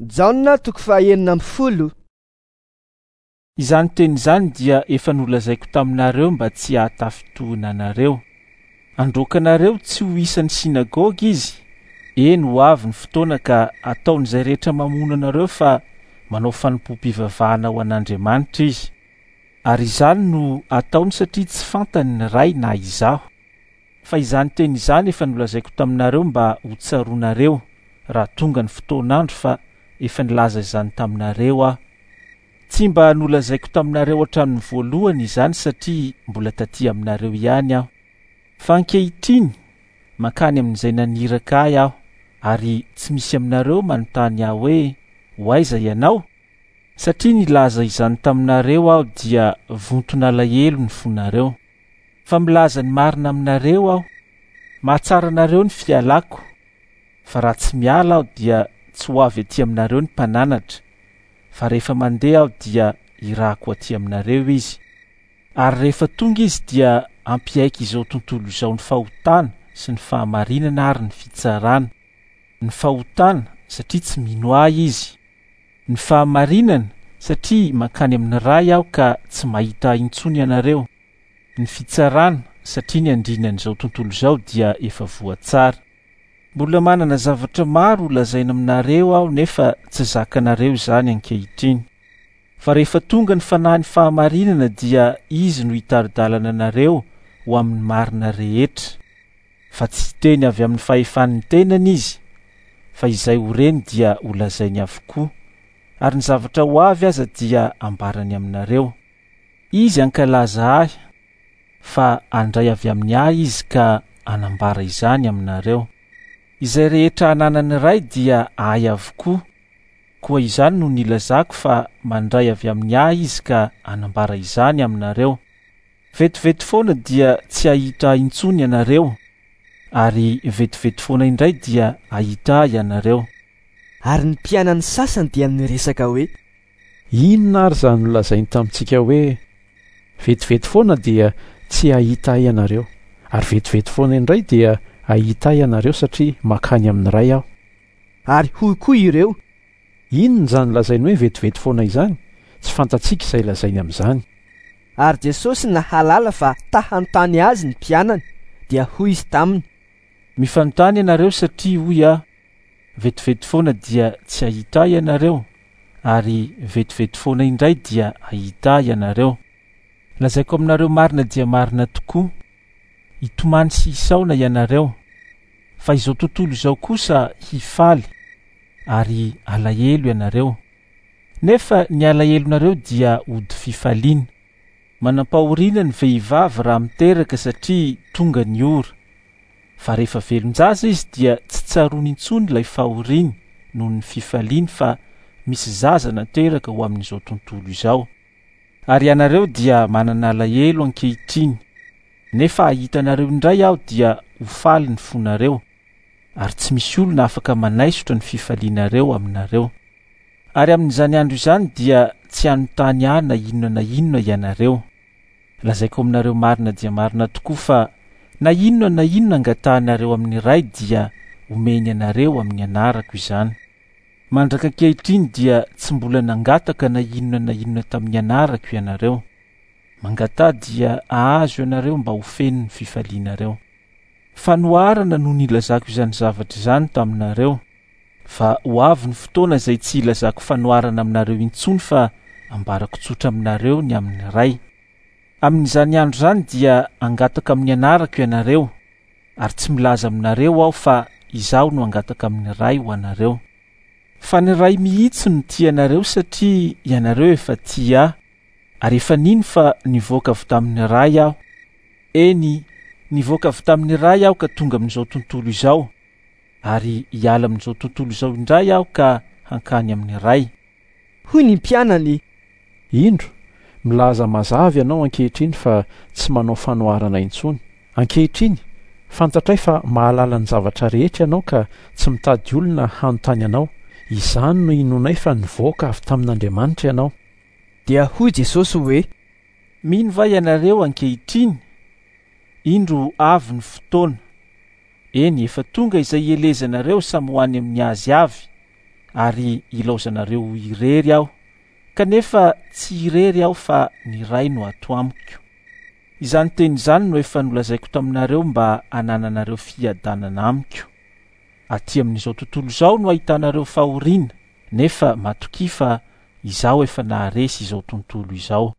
Jaona toko faha-16. Izany teny izany dia efa nolazaiko taminareo mba tsy hahatafintohina anareo. Handroaka anareo tsy ho isan'ny synagoga izy. Eny, ho avy ny fotoana ka hataon'izay rehetra mamono anareo fa manao fanompoam-pivavahana ho an'Andriamanitra izy. Ary izany no ataony satria tsy fantany ny Ray na izaho. Fa izany teny izany efa nolazaiko taminareo mba ho tsaroanareo raha tonga ny fotoan'andro fa efa nilaza izany taminareo aho. Tsy mba nolazaiko taminareo hatramin'ny voalohany izany satria mbola taty aminareo ihany aho. Fa ankehitriny, mankany amin'izay naniraka ahy aho, ary tsy misy aminareo manontany ahy hoe, Ho aiza ianao? Satria nilaza izany taminareo aho dia vonton'alahelo ny fonareo. Fa milaza ny marina aminareo aho, mahatsara anareo ny fialako, fa raha tsy miala aho dia tsy ho avy aty aminareo ny mpananatra, fa rehefa mandeha aho dia hirahako aty aminareo izy. Ary rehefa tonga izy dia hampiaiky izao tontolo izao ny fahotana sy ny fahamarinana ary ny fitsarana. Ny fahotana, satria tsy mino ahy izy. Ny fahamarinana, satria mankany amin'ny Ray aho ka tsy mahita ahy intsony ianareo. Ny fitsarana, satria ny andrinan'izao tontolo izao dia efa voatsara. Mbola manana zavatra maro ho lazaina aminareo aho nefa tsy zakanareo izany ankehitriny. Fa rehefa tonga ny Fanahin'ny fahamarinana dia Izy no hitari-dalana anareo ho amin'ny marina rehetra. Fa tsy hiteny avy amin'ny fahefan'ny tenany Izy, fa izay ho reny dia holazainy avokoa, ary ny zavatra ho avy aza dia hambarany aminareo. Izy hankalaza Ahy, fa handray avy amin'ny Ahy Izy ka hanambara izany aminareo. Izay rehetra ananan'ny Ray dia Ahy avokoa, koa izany no nilazako fa mandray avy amin'ny Ahy Izy ka hanambara izany aminareo. Vetivety foana dia tsy hahita Ahy intsony ianareo, ary vetivety foana indray dia hahita Ahy ianareo. Ary ny mpianany sasany dia niresaka hoe. Inona ary izany nolazainy tamintsika hoe, Vetivety foana dia tsy hahita ahy ianareo, ary vetivety foana indray dia hahita ahy ianareo satria mankany amin'ny Ray aho? Ary hoy koa ireo. Inona izany lazainy hoe vetivety foana izany? Tsy fantatsika izay lazainy amin'izany. Ary Jesosy nahalala fa ta hanontany Azy ny mpianany, dia hoy Izy taminy. Mifanontany ianareo satria hoy Aho, Vetivety foana dia tsy hahita Ahy ianareo, ary vetivety foana indray dia hahita Ahy ianareo. Lazaiko aminareo marina dia marina tokoa, hitomany sy hisaona ianareo, fa izao tontolo izao kosa hifaly, ary halahelo ianareo. Nefa ny alahelonareo dia hody fifaliana. Manam-pahoriana ny vehivavy raha miteraka satria tonga ny ora. Fa rehefa velon-jaza izy dia tsy tsaroany intsony ilay fahoriany noho ny fifaliany fa misy zaza nateraka ho amin'izao tontolo izao. Ary ianareo dia manana alahelo ankehitriny, nefa hahita anareo indray aho dia ho faly ny fonareo, ary tsy misy olona afaka manaisotra ny fifalianareo aminareo. Ary amin'izany andro izany dia tsy hanontany ahy na inona na inona ianareo. Lazaiko aminareo marina dia marina tokoa fa na inona na inona angatahanareo amin'ny Ray dia homeny anareo amin'ny anarako izany. Mandraka ankehitriny dia tsy mbola nangataka na inona na inona tamin'ny anarako ianareo. Mangataha dia hahazo ianareo mba ho feno ny fifalianareo. Fanoharana no nilazako izany zavatra izany taminareo. Fa ho avy ny fotoana izay tsy hilazako fanoharana aminareo intsony fa ambarako tsotra aminareo ny amin'ny Ray. Amin'izany andro izany dia hangataka amin'ny anarako ianareo, ary tsy milaza aminareo Aho fa Izaho no hangataka amin'ny Ray ho anareo. Fa ny Ray mihitsy no tia anareo satria ianareo efa tia Ahy, ary efa nino fa nivoaka avy tamin'ny Ray Aho. Eny, nivoaka avy tamin'ny Ray Aho ka tonga amin'izao tontolo izao. ary hiala amin'izao tontolo izao indray aho ka hankany amin'ny Ray. Hoy ny mpianany. Indro, milaza mazava ianao ankehitriny fa tsy manao fanoharana intsony. Ankehitriny, fantatray fa mahalala ny zavatra rehetra ianao ka tsy mitady olona hanontany anao. Izany no inoanay fa nivoaka avy tamin'Andriamanitra ianao. Dia hoy Jesosy hoe. Mino va ianareo ankehitriny? Indro avy ny fotoana. Eny, efa tonga izay hielezanareo samy ho any amin'ny azy avy. ary hilaozanareo ho irery aho. Kanefa tsy irery aho fa ny Ray no ato amiko. Izany teny izany no efa nolazaiko taminareo mba hanananareo fiadanana amiko. Aty amin'izao tontolo izao no ahitanareo fahoriana, nefa matokia fa izaho efa naharesy izao tontolo izao.